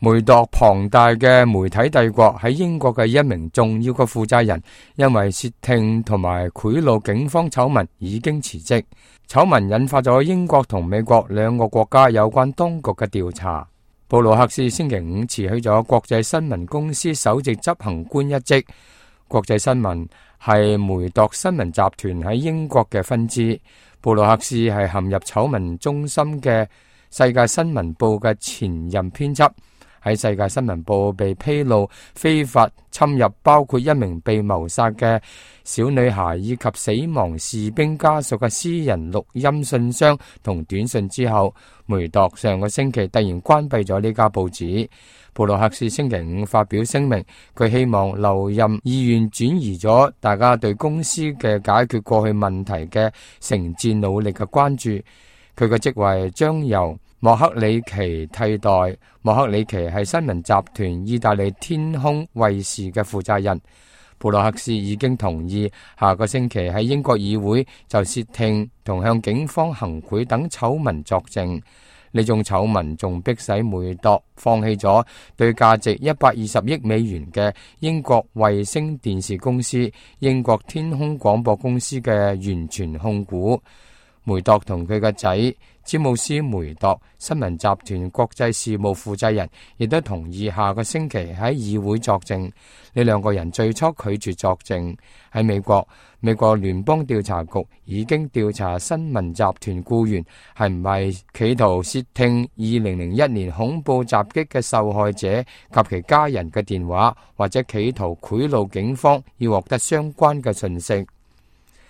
梅鐸龐大嘅媒體帝國喺英國嘅一名重要嘅負責人，因為竊聽同埋賄賂警方醜聞已經辭職。醜聞引發咗英國同美國兩個國家有關當局嘅調查。布魯克斯星期五辭去咗國際新聞公司首席執行官一職。國際新聞係梅鐸新聞集團喺英國嘅分支。布魯克斯係陷入醜聞中心嘅世界新聞報嘅前任編輯。喺世界新聞報被披露非法侵入包括一名被謀殺嘅小女孩以及死亡士兵家屬嘅私人錄音信箱同短信之後，梅鐸上個星期突然關閉咗呢家報紙。布魯克斯星期五發表聲明，佢希望留任意願轉移咗大家對公司嘅解決過去問題嘅誠摯努力嘅關注。佢嘅職位將由莫克里奇替代。莫克里奇係新聞集團意大利天空衛視嘅負責人。布魯克斯已經同意下個星期喺英國議會就竊聽同向警方行賄等醜聞作證。呢種醜聞仲迫使梅鐸放棄咗對價值120億美元嘅英國衛星電視公司英國天空廣播公司嘅完全控股。梅鐸同佢嘅仔詹姆斯梅鐸新聞集團國際事務負責人亦都同意下個星期喺議會作證。呢兩個人最初拒絕作證。喺美國聯邦調查局已經調查新聞集團僱員係唔係企圖竊聽2001年恐怖襲擊嘅受害者及其家人嘅電話，或者企圖賄賂警方以獲得相關嘅信息。